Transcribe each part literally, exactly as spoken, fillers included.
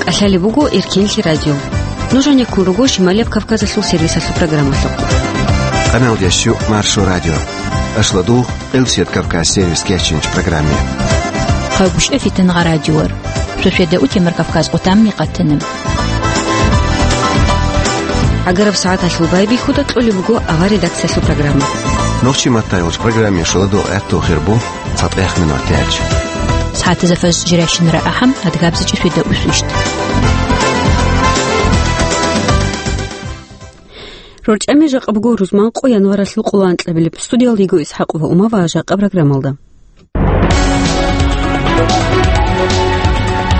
ТӀалъалеб буго Эркенлъи радио. Нуж гьанеккун руго Шималияб Кавказалъул сервисалъул программалъухъ. Къаналдящу Маршо радио. Ашладугъ, Элсият Кавказ сервис кечинч программе. Хъагушев Фитангъа радиор. Шошведа утемар Кавказ къутамни къатанаб. ГӀагараб сагӀаталъул байбихьуда кьолеб буго авар редакциялъул программа. Нохчи маттайолч программе шуладо гӀатту хирбу. ЦатӀехъ минут тяч. СагӀатазда фаз жиращинара ахӀам, адгабзичӀи фида усвищт. РорчӀами жакъа буго рузманкъо январалъул къоло анкьабилеб. Студиялда йиго ИсхӀакъова Ума ва жакъа программалда.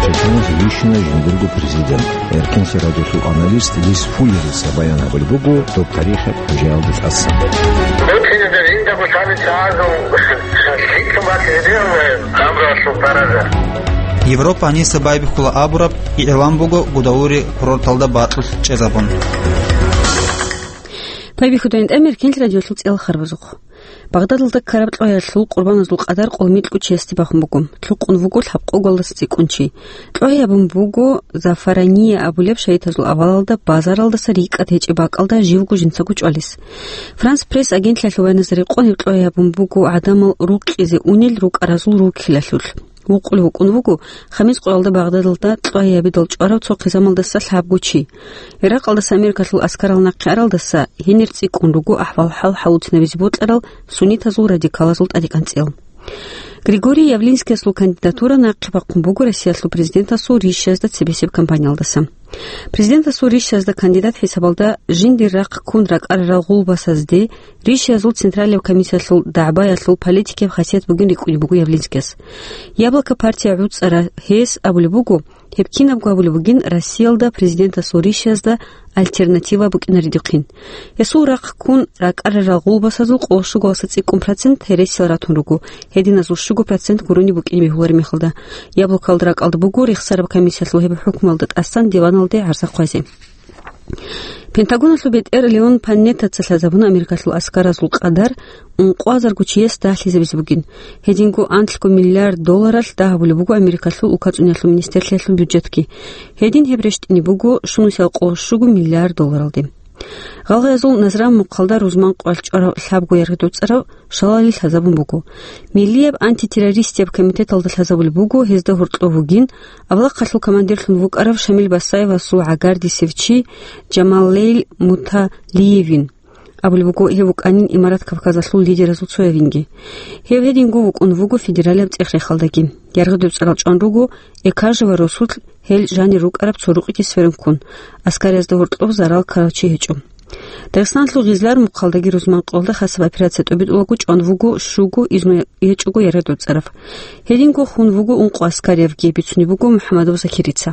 Чеченас вищина жиндирго президент. Эркенлъи радиолъул аналист Лис Фуллерица баян гьабулеб буго доб тарихаб хӀужаялда тӀаса. Европа гьаниса байбихьула абураб игӀлан буго Гудаури курорталда бакьулъ чӀезабун. Байбихьуда гьанже Эркенлъи радиолъул цӀел харбазухъ. Багъдадалда ккараб кьвагьиялъул къурбаназул къадар къоло микьго чиясде бахун буго. Лъукъун вуго лъабкъоголдаса цӀикӀкӀун чи. Кьвагьи гьабун буго Зафарания абулеб шагьидазул авалалда базаралдаса рикӀкӀад гьечӀеб бакӀалда живго жинцаго чӀвалес. Франс Пресс агентлъиялъул баяназда рекъон гьеб кьвагьи гьабун буго гӀадамал рукъизе унел рукӀаразул руккилалъулъ. Вукъулев вукӀун вуго, хамис къоялда Багъдадалда кьвагьи гьабидал чӀварав цо хъизамалдаса лъабго чи. Иракъалдаса Америкалъул аскарал нахъе аралдаса гьенир цӀикӀкӀун руго ахӀвал-хӀал хӀалуцинабизе бокьарал суннитазул радикалазул тӀадекӀанцӀел. Григорий Явлинскиясул кандидатура нахъе бахъун буго Россиялъул президентасул рищазда цебесеб кампаниялдаса. Президентасул рищазда кандидат хӀисабалда жиндир рахъ ккун ракӀарарал гъулбасазде рищазул Централияб комиссиялъул дагӀбаялъул политикияб хасият бугин рикӀкӀунеб буго Явлинскияс. «Яблоко» партия гӀуцӀара гьес абулеб буго, гьеб кинабго абулеб бугин Россиялда президентасул рищазда альтернатива букӀинаредухъин. Гьесул рахъ ккун ракӀарарал гъулбасазул къоло щуго цӀикӀкӀун процент гьересиял ратун руго, гьединазул щуго процент гурони букӀине бегьулареб мехалда. «Яблокоялда» ракӀалда буго рехсараб комиссиялъул гьеб хӀукмуялда тӀасан диваналде гӀарза хъвазе. Пентагоналъул бетӀер Леон Панеттаца лъазабуна Америкалъул аскаразул къадар ункъоязарго чияс дагьлъизабизе бугин. Гьединго анлъго миллиард долларалъ дагь гьабулеб буго Америкалъул улкацӀуниялъул министрлъиялъул бюджетги. Гьедин гьеб рещтӀине буго щунусиялда къоло щуго миллиард долларалде. Гъалгъиязул Назран мухъалда рузман къоялъ чӀварав лъабго яргъи доцӀарав шалали лъазабун буго. Миллияб антитеррористияб комитеталда лъазабулеб буго гьезда гьоркьов вугин, авлахъалъул командирлъун вукӀарав Шамил Басаевасул гӀагардисев чи Жамалейл Муталиевин. Абулеб буго, гьев вукӀанин Имарат Кавказалъул лидеразул цоявинги. Гьев гьединго вукӀун вуго федералияб цӀех-рехалдаги. Яргъи доцӀарал чӀван руго Экажева Росулъ, гьел жанир рукӀараб цо рукъги сверун ккун. Аскариязда гьоркьоб зарал ккарав чи гьечӀо. Дагъистаналъул Гъизлар мухъалдаги рузман къоялда хасаб операция тӀобитӀулаго чӀван вуго щуго изну гьечӀого яргъи доцӀарав. Гьединго хун вуго ункъо аскариявги, бицунеб буго МухӀаммадов Закирица.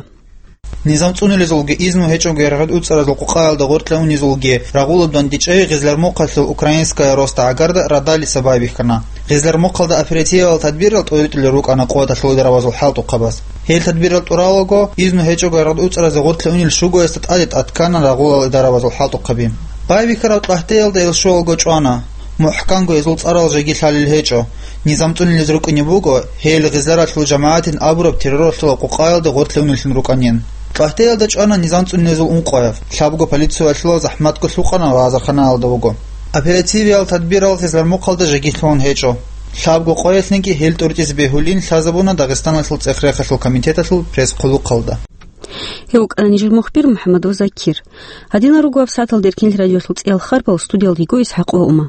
Низам цӀунилезулги изну гьечӀого яргъи доцӀаразул къукъаялда гъоркье унезулги рагъулаб дандечӀей Гъизлар мухъалъул Украинская роста гӀагарда радалиса байбихьана. Гъизлар мухъалда оперативал тадбирал тӀоритӀулел рукӀана къотӀалъул даравазул хӀалтӀухъабаз. Гьел тадбирал тӀуралаго, изну гьечӀого яргъи доцӀаразе гъоркье унел щугоясда тӀаде тӀадккана рагъулал даравазул хӀалтӀухъаби. Байбихьараб кьагьтеялда гьел щуалго чӀвана. МухӀканго гьезул цӀарал жеги лъалел гьечӀо. Низам цӀунилез рукӀине буго, гьел Гъизларалъул жамагӀатин абураб терроралъул къукъаялда гъоркье унеллъун рукӀанин. Кьагьтеялда чӀвана низам цӀунилезул ункъояв, лъабго полициялъулал захӀматго лъукъана лазарханаялда вуго. Оперативиял тадбирал Гъизлар мухъалда жеги лъугьун гьечӀо. Лъабго къоялъниги гьел тӀуртӀизе бегьулин лъазабуна Дагъистаналъул цӀех-рехалъул комитеталъул пресс-хъулухъалда. Гьев вукӀана нижер мухбир МухӀаммадов Закир. Гьадинал руго гьаб сагӀаталда Эркенлъи радиолъул цӀиял харбал, студиялда йиго ИсхӀакъ ва Ума.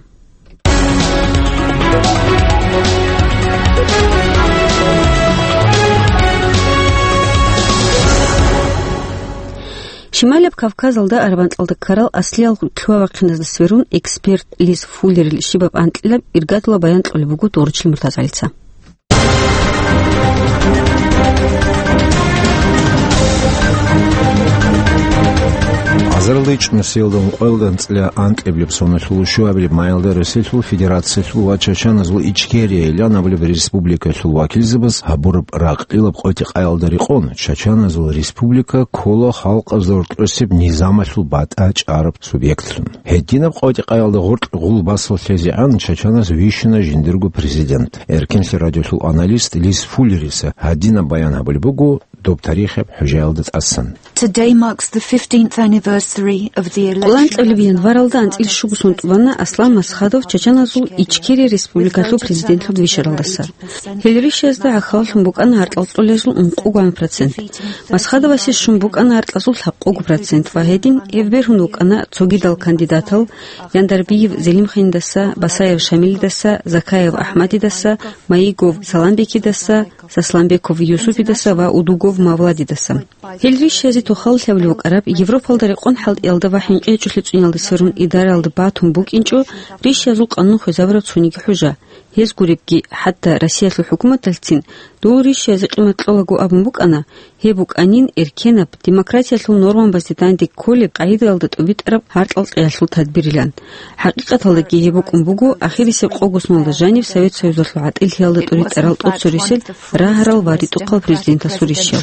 Шималияб Кавказалда Арабанталда ккарал аслиял лъугьа-вахъиназда сверун эксперт Лис Фуллерил щибаб анкьилаб иргадула баян кьолеб буго Доручил Муртазалица. Азарилда ичӀнусиялда ункъоялда анцӀила анкьабилеб соналъул щуабилеб майилда Россиялъул Федерациялъул ва Чачаназул Ичкерияйилан абулеб республикалъул вакилзабаз гьабураб ракьилаб къотӀи-къаялда рекъон, Чачаназул республика ккола халкъазда гьоркьосеб низамалъул батӀа чӀараб субъектлъун. Гьединаб къотӀи-къаялда гъоркь гъулбасал лъезегӀан Чачанас вищуна жиндирго президент. Эркенлъи радиолъул аналист Лис Фуллериса гьадинаб баян гьабулеб буго доб тарихаб хӀужаялда тӀасан. Today marks the fifteenth anniversary of the election. Къоло анцӀабилеб январалда анцӀила щуго сон тӀубана Аслан Масхадов чачаназул Ичкери республикалъул президентлъун вищаралдаса. Гьел рищазда гӀахьаллъун букӀана гьаркьал кьолезул ункъогоан процент. Масхадовасе щун букӀана гьаркьазул лъабкъого процент ва гьедин гьев бергьун вукӀана цогидал кандидатал: Яндарбиев Зелимханиндаса, Басаев Шамилидаса, Закаев АхӀмадидаса, Маигов Саламбекидаса, Сасламбеков Юсупидаса ва Удугов Мавладидаса. Гьел рищазе тухаллъи абулеб букӀараб, Европалда рекъон хӀалтӀиялда ва хӀинкъи гьечӀолъи цӀуниялда сверун идараялда батун букӀинчӀо рищазул къанун хвезабураб цониги хӀужа. Гьез гуребги, хӀатта Россиялъул хӀукуматалъцин дол рищазе къимат кьолаго абун букӀана, гьеб букӀанин эркенаб, демократиялъул нормабазде данде кколеб къагӀидаялда тӀубитӀараб гьаркьал кьеялъул тадбирилан. ХӀакъикъаталдаги гьеб букӀун буго ахирисеб къого соналда жаниб Совет Союзалъул гӀатӀилъиялда тӀуритӀарал тӀоцерисел рагьарал ва ритӀухъал президентасул рищал.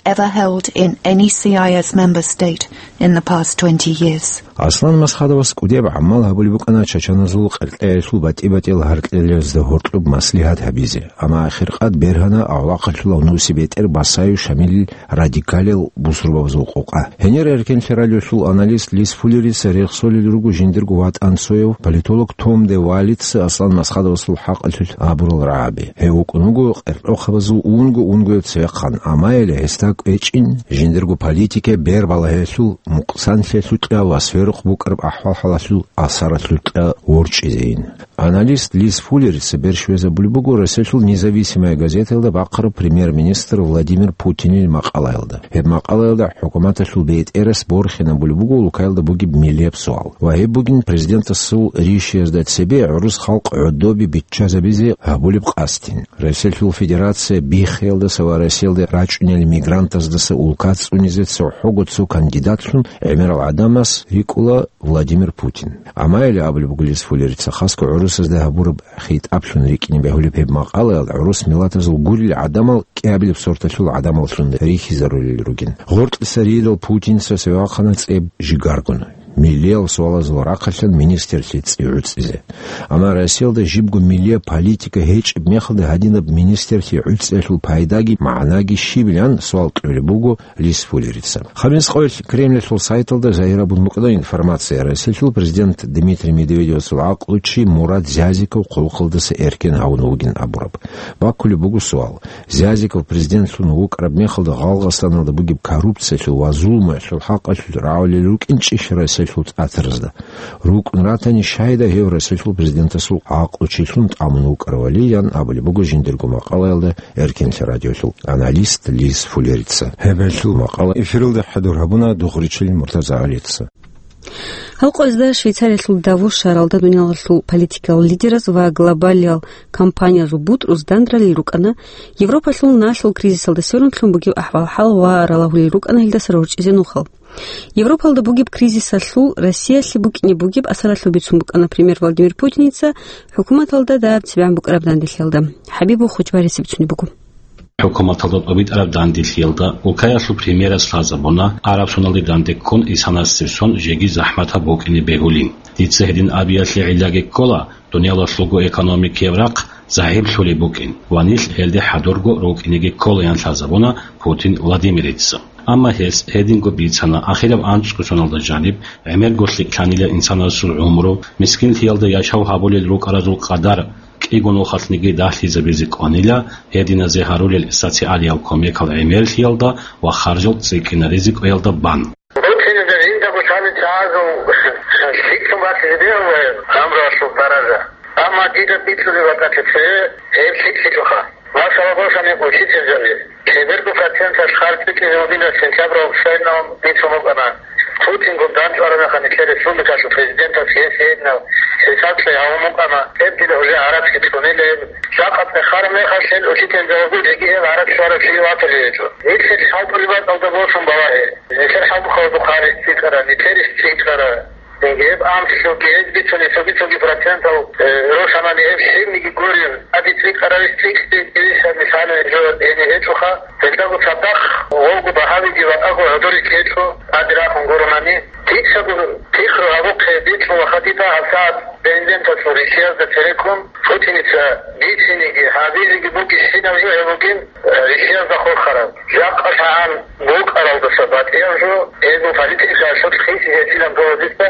Ever held in any C I S member state in the past twenty years. Аслан Масхадовас кӀудияб гӀамал гьабулеб букӀана чачаназул къеркьеялъул батӀи-батӀиял гьаркьлъиялда гьоркьоб маслигьат гьабизе, амма ахиркъад бергьана авлахъалъулав нусибетӀер Басаев Шамилил радикалиял бусурбабазул къокъа. Гьенир эркенлъи радиолъул аналист Лис Фуллерица рехсолел руго жиндирго ватӀан цояв политолог Том де Валица Аслан Масхадовасул хӀакъалъулъ абурал рагӀаби. Гьев вукӀун вуго къеркьохъабазул унго-унгояб цевехъан, амма гьеле гьесда кӀвечӀин жиндирго политикаялъ бер балагьиялъул, мукъсанлъиялъул кьа ва сверухъ букӀараб ахӀвал-хӀалалъул асаралъул кьа ворчӀизейин. Аналист Лис Фуллерица бер щвезабулеб буго Россиялъул «Независимая газетаялда» бахъараб премьер-министр Владимир Путинил макъалаялда. Гьеб макъалаялда хӀукуматалъул бетӀерас борхинабулеб буго улкаялда бугеб миллияб суал. Ва гьеб бугин президентасул рищаязда цебе гӀурус халкъ гӀодобе биччазабизе гьабулеб къасдин. Россиялъул Федерация биххиялдаса ва Россиялде рачӀунел мигрантаздаса улка цӀунизе цохӀого цо кандидатлъун гӀемерал гӀадамас рикӀкӀуна Владимир Путин. Амма гьеле абулеб буго Лис Фуллерица, хасго гӀурусазда гьабураб хитӀаблъун рикӀкӀине бегьулеб гьеб макъалаялда гӀурус миллатазул гурел гӀадамал кӀиабилеб сорталъул гӀадамаллъун рихьизарулел ругин. Гъоркьиса рийидал Путинца цевехъана цӀеб жигаргун, миллиял суалазул рахъалъан министрлъи цӀи гӀуцӀизе. Амма Россиялда жибго миллияб политика гьечӀеб мехалда гьадинаб министрлъи гӀуцӀиялъул пайдаги магӀнаги щибилан суал кьолеб буго Лис Фуллерица. Гьаб мискъоялъ Кремльалъул сайталда загьир абун букӀана информация: Россиялъул президент Дмитрий Медведевасул гӀакълучи Мурад Зязиков хъулухъалдаса эркен гьавун вугин абураб. Баккулеб буго суал: Зязиков президентлъун вукӀараб мехалда Гъалгъасаналда бугеб коррупциялъул ва зулмуялъул хӀакъалъулъ рагӀулел рукӀинчӀищ Россиялъул цӀатаразда? РукӀун ратани, щайда гьев Россиялъул президентасул гӀакълучилъун тӀамун вукӀаравали, ян абулеб буго жиндирго макъалаялда Эркенлъи радиолъул аналист Лис Фуллерица. Гьеб гьелъул макъала эфиралда хӀадур гьабуна Дугъричил МуртазагӀалица. Гьал къоязда Швейцариялъул Давос шагьаралда дуниялалъул политикал лидераз ва глобалиял компаниязул бутӀруз дандралел рукӀана, Европалъул налъул кризисалда сверун лъун бугеб ахӀвал-хӀал ва ралагьулел рукӀана гьелдаса рорчӀизе нухал. Европалда бугеб кризисалъул Россиялъе букӀине бугеб асаралъул бицун букӀана премьер Владимир Путиница хӀукуматалда дагьаб цебегӀан букӀараб данделъиялда. ХӀабибул Хучбарисеб цуни буго. ХӀукуматалда тӀобитӀараб данделъиялда улкаялъул премьерас лъазабуна, араб соналде данде ккун исанасеб сон жеги захӀматаб букӀине бегьулин. Дица гьедин абиялъе гӀиллаги ккола, дуниялалъулго экономикияб рахъ загӀиплъулеб букӀин ва нилъ гьелде хӀадурго рукӀинеги кколаян лъазабуна Путин Владимирица. Амма гьес гьединго бицана, ахираб анцӀго соналда жаниб гӀемерго лъикӀлъанила инсанасул гӀумру, мискинлъиялда яшав гьабулел рукӀаразул къадар кӀиго нухалъниги дагьлъизабизе кӀванила, гьединазе гьарулел социалиял кумекал гӀемерлъиялда ва харжал цӀикӀкӀинаризе кӀвеялда бан. Путинида жиндаго лъалел чагӀазул лъикӀлъун батизе бегьулаан гӀумруялъул даража. Амма дида бицунеб бакӀалъе цеве гьеб лъикӀлъичӀоха. Масала босани, учительзаби лъеберго проценталъ харж битӀизе вугилан сентябралда сайинал бицун букӀана. Путингун дандчӀвараб мехалъ нилъер республикалъул президентас гьес гьединаб хӀисаблъи гьавун букӀана, гьеб дида уже гӀарацги цӀунила гьеб. Жакъа цӀехараб мехалъ гьел учительзабигун жеги гьеб гӀарац щвараб чи ватулей гьечӀо. Нилъер хӀалтӀулеб бакӀалда босун балагье. Нилъер хӀалтӀухъалда хъарис цӀикӀкӀара, нилъерис цӀикӀкӀара. Гьеб амрулъги гьез бицунеб цоги-цоги процентал, э, росанани гьеб лъимниги гурин, ади цӀикӀкӀараб цӀикӀкӀи, мисалалъе, жо гьениб гьечӀоха, гьелдаго цадахъ гъовго багьавиги ватӀаго гӀодорихъ гьечӀо, ади рахун гуронани. Дицаго пихру гьабухъе бикьула хадида гьабсагӀат. Президенталъул рихьиязда цереккун Путиница бицинеги гьабизеги бугищинаб жо гьеб бугин, э, рихьиязда хурхараб. Жакъа лъагӀан букӀаралдаса батӀияб жо, гьезул политикаялъул хисизе гьечӀилан гьезда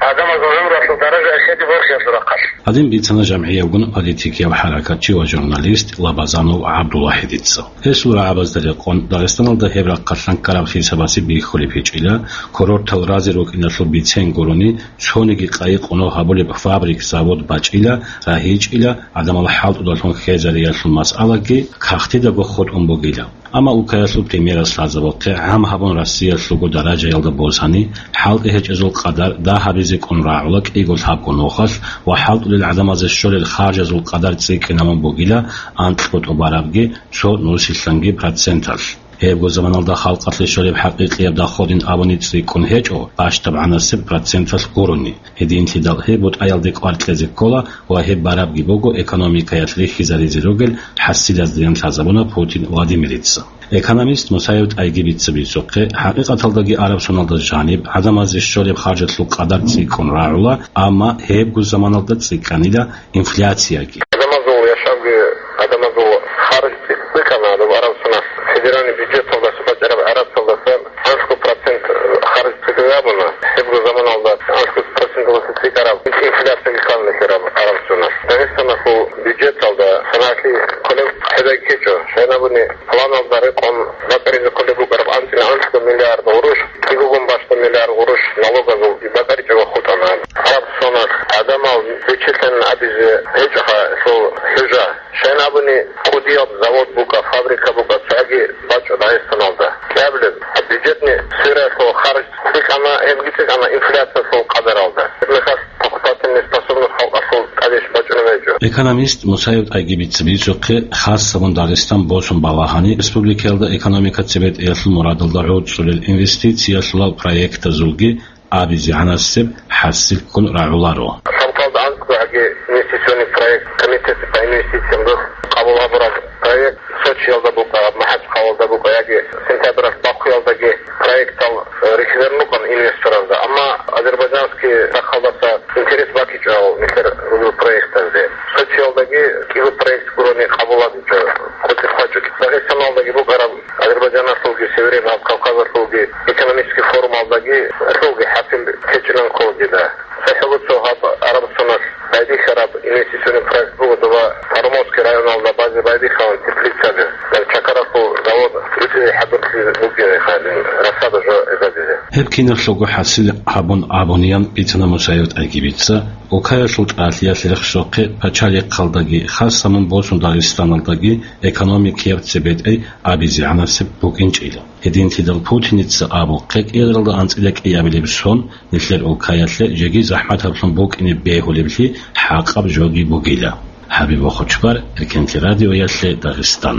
гӀадамазул гӀумруялъул даража эхеде борхиялъул рахъалъ. Гьадин бицана жамгӀиябгун политикияв хӀаракатчи ва журналист Лабазанов ГӀабдулвахӀидица. Гьесул рагӀабазда рекъон, Дагъистаналда гьеб рахъалъан ккараб хисабасе бихьулеб гьечӀила, курортал разе рукӀиналъул бицен гурони, цониги къайи-къунал гьабулеб фабрик-завод бачӀила, рагьичӀила, гӀадамал хӀалтӀудалъун хвезариялъул масъалаги кагътидаго хутӀун бугила. Амма улкаялъул премьерас лъазабухъе гӀам гьабун Россиялъулго даражаялда босани, хӀалтӀи гьечӀезул къадар дагь гьабизе кӀун рагӀула кӀиго лъабго нухалъ ва хӀалтӀулел гӀадамазе щолел харжазул къадар цӀикӀкӀинабун бугила анкьго тӀубарабги цо нусилъанги проценталъ. Гьебго заманалда халкъалъе щолеб хӀакъикъияб доходин абуни цӀикӀкӀун гьечӀо, бащдабгӀанасеб проценталъ гурони. Гьединлъидал гьеб бутӀаялде кӀвар кьезе ккола ва гьеб барабги буго экономикаялъ рихьизаризе ругел хӀасилаздайин лъазабуна Путин Владимирица. Экономист Мусаев ТӀайгибица бицухъе, хӀакъикъаталдаги араб соналда жаниб гӀадамазе щолеб харжалъул къадар цӀикӀкӀун рагӀула, амма гьебго заманалда цӀикӀкӀанила инфляцияги. Адамазул яшавги, адамазул харжги цӀикӀкӀана, доб араб сонас федеральный бюджеталдаса бачӀараб гӀарацалдаса анлъго процент харж цӀикӀкӀабуна. Гьебго заманалда анлъго проценталдаса цӀикӀкӀараб инфляцияги ккана нилъер араб сонас. Дагъистаналъул бюджеталда санагӀлъи кколеб хӀезай ккечӀо. Щайнабуни планалда рекъон бакӀаризе кколеб букӀараб анцӀила анлъго миллиард гъурущ, кӀигогун бащдаб миллиард гъурущ налогазул бакӀаричӀого хутӀана. Араб сонас гӀадамал вичилъан абизе гьечӀоха лъул хӀужа. Щайнабуни кӀудияб завод букӀа, фабрика букӀа, цоги бачӀо Дагъистаналда. КӀиаблеб бюджетный сфераялъул харж цӀикӀкӀана, гьебги цӀикӀкӀана инфляциялъул къадаралда. Гьеб мехалъ покупательный способность халкъалъул кӀадищ бачӀунеб гьечӀо. Экономист Мусаев ТӀайгибица бицухъе, хасабун Дагъистан босун балагьани, республикаялда экономика цебетӀеялъул мурадалда гӀуцӀулел инвестициялъулал проектазулги абизегӀанасеб хӀасил ккун рагӀуларо. Лъабкъалда анцӀгоги инвестиционный проект, комитет по инвестициям дос къабул гьабураб проект Сочиялда букӀа, МахӀачхъалалда букӀа яги сентябралъ Бакуялдаги проектал, э, рихьизарун рукӀана инвесторалда. Амма азербайджанский рахъалдаса интерес бакичӀо нилъер ругел проектазде. Сочиялдаги кӀиго проект гурони къабул гьабичӀо, къотӀи хъвачӀо. Дагъистаналдаги букӀараб Азербайджаналъулги Северный Кавказалъулги экономический форумалдаги лъуги хӀасил течӀилан ккола дида. ЦохӀо буго гьаб араб соналъ байдихьараб инвестиционный проект буго доба Парамовский районалда базе байдихьараб теплицаби, чакаралъул завод ритӀизе хӀадурлъи бугеб гьадин, рассада жо гӀезабизе. Гьеб кинаблъго хӀасил гьабун абуниян бицана Мусаев ТӀайгибица, улкаялъул тӀалъиялъе рехсохъе пачалихъалдаги, хасамун босун Дагъистаналдаги экономикияб цебетӀей абизегӀанасеб букӀинчӀила. Гьединлъидал Путиница абухъе кӀиялда анцӀила кӀиабилеб сон нилъер улкаялъе жеги захӀматаблъун букӀине бегьулеблъи хӀакъаб жоги бугила. ХӀабиб Бохочбар, Эркенлъи радиоялъе Дагъистан.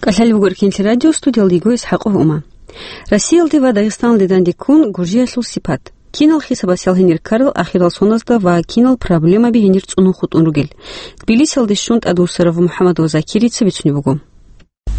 КӀалъалеб буго Эркенлъи радио, студиялда йиго ИсхӀакъов Ума. Россиялде ва Дагъистаналде дандеккун Гуржиялъул сипат. Кинал хисабас ял гьенир ккарал ахирал соназда ва кинал проблемаби гьенир цӀунун хутӀун ругел? Тбилисиялде щун тӀадвуссарав МухӀаммадов Закирица бицунеб буго.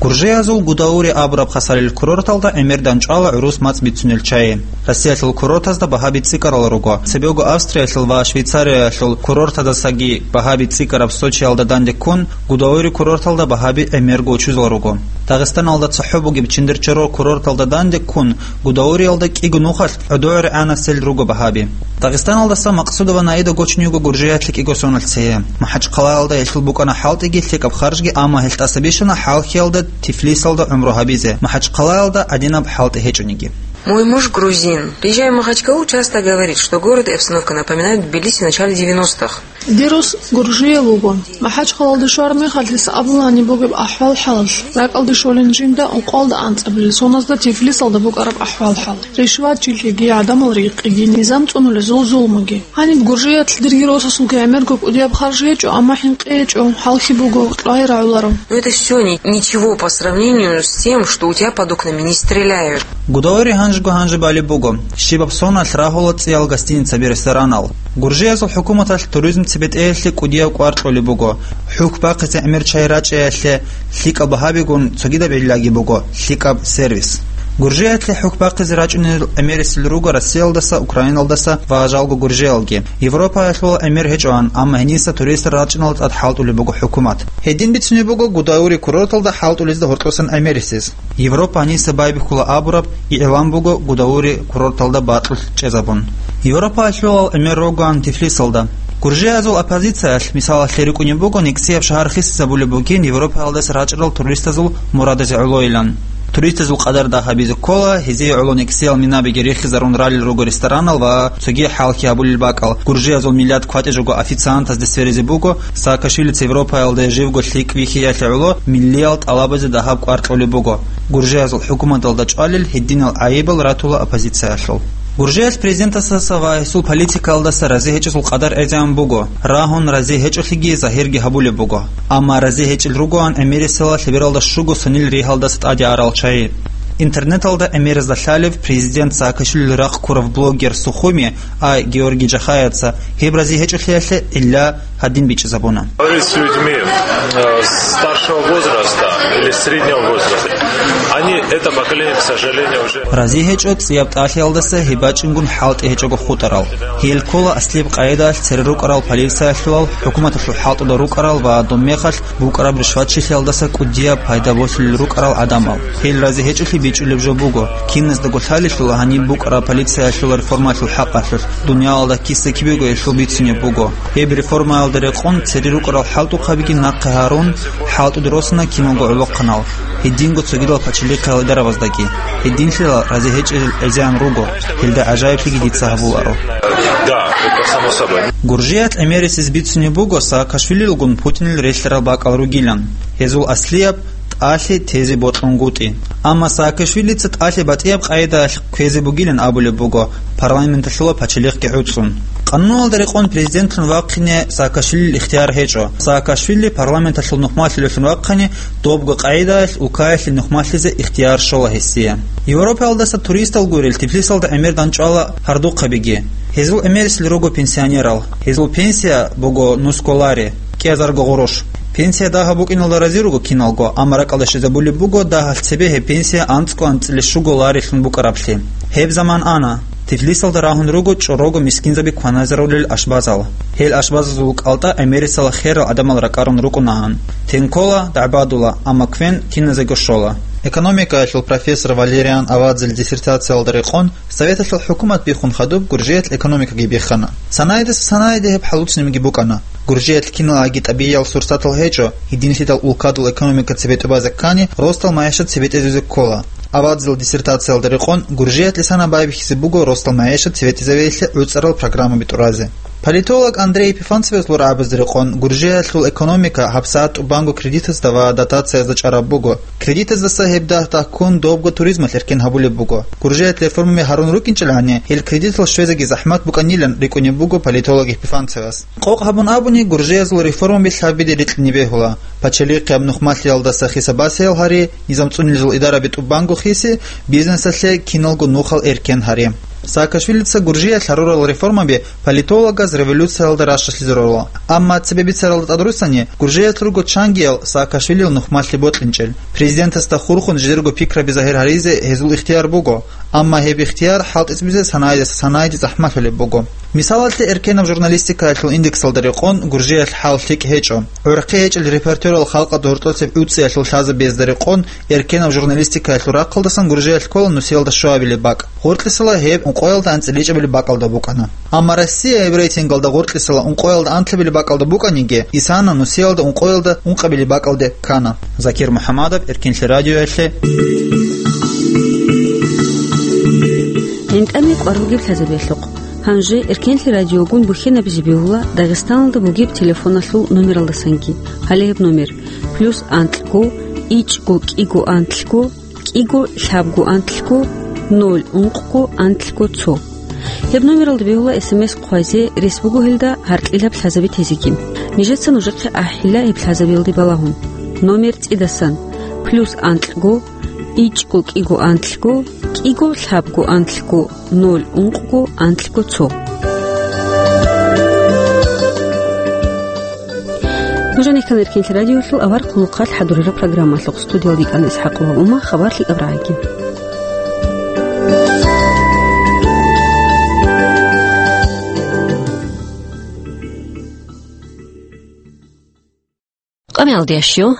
Гуржиязул Гудаури абураб хасалил курорталда гӀемер дандчӀвала гӀурус мацӀ бицунел чагӀи. Россиялъул курортазда багьаби цӀикӀкӀарал руго. Цебего Австриялъул ва Швейцариялъул курортазасаги багьаби цӀикӀкӀараб Сочиялда дандеккун, Гудаури курорталда багьаби гӀемерго учузал руго. Дагъистаналда цохӀо бугеб Чиндерчорор курорталда дандеккун, Гудауриялда кӀиго нухалъ гӀодове регӀанасел руго багьаби. Дагъистаналдаса Максудова Наида гочун йиго Гуржиялъе кӀиго соналъ цее. МахӀачхъалаялда гьелъул букӀана хӀалтӀиги лъикӀаб харжги, амма гьелъ тӀаса бищана хӀалхьиялда Тифлисалда гӀумру гьабизе, МахӀачхъалаялда гӀадинаб хӀалтӀи гьечӀониги. Мой муж грузин. Приезжая в Махачкалу, часто говорит, что город и обстановка напоминают Тбилиси в начале девяностых. Дир рос Гуржияв вуго. МахӀачхъалаялде щвараб мехалъ гьес абулани бугеб ахӀвал-хӀалалъ, ракӀалде щолин жинда ункъоялда анцӀабилел соназда Тифлисалда букӀараб ахӀвал-хӀал. Ришватчилъиги, гӀадамал рекъиги, низам цӀунулезул зулмуги. Гьаниб Гуржиялъ дирги росасулги гӀемерго кӀудияб харж гьечӀо, амма хӀинкъи гьечӀо, хӀалхьи буго, кьвай рагӀуларо. Но это всё ни-, ничего по сравнению с тем, что у тебя под окнами не стреляют. Гудаури гьанжего-гьанже балеб буго. Щибаб соналъ рагьула цӀиял гостиницаби, ресторанал. Гуржиязул хӀукуматалъ туризм цебетӀеялъе кӀудияб кӀвар кьолеб буго. ХӀухь бахъизе гӀемер чагӀи рачӀиялъе, лъикӀаб багьабигун цогидаб гӀиллаги буго, лъикӀаб сервис. Гуржиялъе хӀукму бахъизе рачӀунел гӀемерисел руго Россиялдаса, Украиналдаса ва жалго гуржиялги. Европаялъул гӀемер гьечӀоан, амма гьениса туристар рачӀиналда тӀад хӀалтӀулеб буго хӀукумат. Гьедин бицунеб буго Гудаури курорталда хӀалтӀулезда гьоркьосан гӀемерисез. Европа гьаниса байбихьула абураб игӀлан буго Гудаури курорталда бакьулъ чӀезабун. Европаялъул гӀемер ругоан Тифлисалда. Гуржиязул оппозициялъ, мисалалъе, рикӀкӀунеб буго никсияб шагьар хисизабулеб бугин Европаялдаса рачӀарал туристазул мурадазе гӀолойилан. Туристазул къадар дагьабизе ккола, гьезие гӀоло никсиял минабиги рихизарун ралел руго ресторанал ва цоги хӀалхьи гьабулел бакӀал. Гуржиязул миллиат кватӀи жого официантазде сверизе буго, Саакашвилица Европаялда живго лъикӀ вихьиялъе гӀоло миллиял тӀалабазе дагьаб кӀвар кьолеб буго. Гуржиязул хӀукуматалда чӀвалел гьединал гӀайибал ратула оппозициялъул. Гуржиялъ президентасдаса ва гьесул политикаялдаса рази гьечӀезул къадар гӀезегӀан буго, рагьун рази гьечӀолъиги загьирги гьабулеб буго. Амма рази гьечӀел ругоан гӀемерисела лъебералда щуго сонил ригьалдаса тӀаде арал чагӀи. Интернеталда гӀемеразда лъалев президент Саакашвилил рахъ ккурав блогер Сухуми, а Георгий Джахаевца гьеб рази гьечӀолъиялъе гӀилла гьадин бичӀчӀизабуна. Говорит с людьми, э, старшего возраста или среднего возраста. Они, это поколение, к сожалению, уже... Рази гьечӀо цӀияб тӀалъиялдаса гьеб бачӀингун хӀалтӀи гьечӀого хутӀарал. Гьел ккола аслияб къайдаялъ цере рукӀарал полициялъулал, хӀукуматалъул хӀалтӀуда рукӀарал ва доб мехалъ букӀараб ришватчилъиялдаса кӀудияб пайда босулел рукӀарал гӀадамал. Гьел рази гьечӀолъи бичӀчӀулеб жо буго. Киназдаго лъалелъула гьаниб букӀараб полициялъул реформалъул хӀакъалъулъ, дуниялалда киса-кибего гьелъул бицунеб буго. Гьеб реформаялда рекъон цере рукӀарал хӀалтӀухъабиги нахъе гьарун, хӀалтӀуде росана киналго гӀолохъанал, гьединго цогидал пачалихъал идарабаздаги. Гьединлъила рази гьечӀел гӀезегӀан руго, гьелда гӀажаиблъиги дица гьабуларо. Да, это само собой. Гуржиялъ гӀемерисез бицунеб буго Саакашвилилгун Путинил релълъарал бакӀал ругилан. Гьезул аслияб тӀалъи тезе бокьунгутӀи. Амма Саакашвилица тӀалъи батӀияб къайдаялъ кквезе бугилан абулеб буго, парламенталъула пачалихъги гӀуцӀун. Къануналда рекъон президентлъун вахъине Саакашвилил ихтияр гьечӀо. Саакашвили парламенталъул нухмалъулевлъун вахъани, добго къайдаялъ улкаялъе нухмалъизе ихтияр щола гьесие. Европаялдаса туристал гурел Тифлисалда гӀемер данчӀвала гьардухъабиги. Гьезул гӀемерисел руго пенсионерал. Гьезул пенсия буго нусго лари, кӀиазарго гъурущ. Пенсия дагьаб букӀиналда рази руго киналго, амма ракӀалда щвезабулеб буго, дагьалъ цебе гьеб пенсия анцӀго анцӀила щуго ларилъун букӀараблъи. Гьеб заман ана. Тифлисалда рагьун руго чӀорого мискинзаби кваназарулел ашбазал. Гьел ашбазазул кӀалтӀа гӀемерисела херал гӀадамал ракӀарун рукӀунагӀан. Тен ккола, дагӀбадула, амма квен киназего щола. Экономикаялъул профессор Валериан Авадзел диссертациялда рекъон, Советалъул хӀукумат биххун хадуб Гуржиялъ экономикаги биххана. Санайдаса санайде гьеб хӀалуцинабги букӀана. Гуржиялъ киналаги тӀабигӀиял сурсатал гьечӀо, гьединлъидал улкадул экономика цебетӀубазе ккани, ростал магӀишат цебетӀезезе ккола. Авадзел диссертациялда рекъон, Гуржиялъ лисана байбихьизе буго ростал магӀишат цебетӀезавеялъе гӀуцӀарал программаби тӀуразе. Политолог Андрей Епифанцевас лорабазда рекъон, Гуржиялъул экономика гьабсагӀат тӀубанго кредитазда ва дотациязда чӀараб буго. Кредитаздаса гьеб дагь-дагьккун добго туризмалъ эркен гьабулеб буго. Гуржиялъ реформаби гьарун рукӀинчӀелани, гьел кредитал щвезеги захӀмат букӀанилан рикӀкӀунеб буго политолог Епифанцевас. Къокъ гьабун абуни, гуржиязул реформаби лъабиде рикьине бегьула: пачалихъияб нухмалъиялдаса хисаб-басиял гьари, низам цӀунилезул идараби тӀубанго хиси, бизнесалъе киналго нухал эркен гьари. Саакашвилица Гуржиялъ гьарурал реформаби политологаз революциялда ращалъизе рорла. Амма цебе бицаралда тӀадруссани, Гуржиялъ руго чангиял Саакашвилил нухмалъи бокьинчӀел. Президентасда хурхун жидерго пикраби загьир гьаризе гьезул ихтияр буго, амма гьеб ихтияр хӀалтӀизабизе санайдаса санайде захӀмалъулеб буго. Мисалалъе, эркенаб журналистикаялъул индексалда рекъон Гуржиялъ хӀал лъикӀ гьечӀо. ГӀурхъи гьечӀел репортерал халкъалда гьоркьосеб гӀуцӀиялъул лъазабиязда рекъон, эркенаб журналистикаялъул рахъалдасан Гуржиялъ ккола нусиялда щуабилеб бакӀ. Гъоркьисала гьеб ункъоялда анцӀила ичӀабилеб бакӀалда букӀана. Амма Россия гьеб рейтингалда гъоркьисала ункъоялда анлъабилеб бакӀалда букӀаниги, Исана нусиялда ункъоялда ункъабилеб бакӀалде ккана. Закир МухӀаммадов, Эркенлъи радиоялъе. ГӀинтӀаме кӀвар бугеб лъазабиялъухъ. Гьанже Эркенлъи радиогун бухьинабизе бегьула Дагъистаналда бугеб телефоналъул номералдасанги. Гьале гьеб номер: плюс анкьго, ичӀго кӀиго анлъго, кӀиго лъабго анлъго, ноль ункъго анлъго цо. Гьеб номералда бегьула СМС хъвазе, рес буго гьелда гьаркьилаб лъазаби тезеги. Нижеца нужехъе ахӀила гьеб лъазабиялде балагьун. Номер цӀидасан: плюс анкьго, ичӀго кӀиго анлъго, кӀиго лъабго анлъго, ноль ункъго анлъго цо. Нуж гьанихъан Эркенлъи радиолъул авар хъулухъалъ хӀадурараб программалъухъ. Студиялда йикӀана ИсхӀакъова Ума, хабар лъикӀаб рагӀаги. Амялдиящу,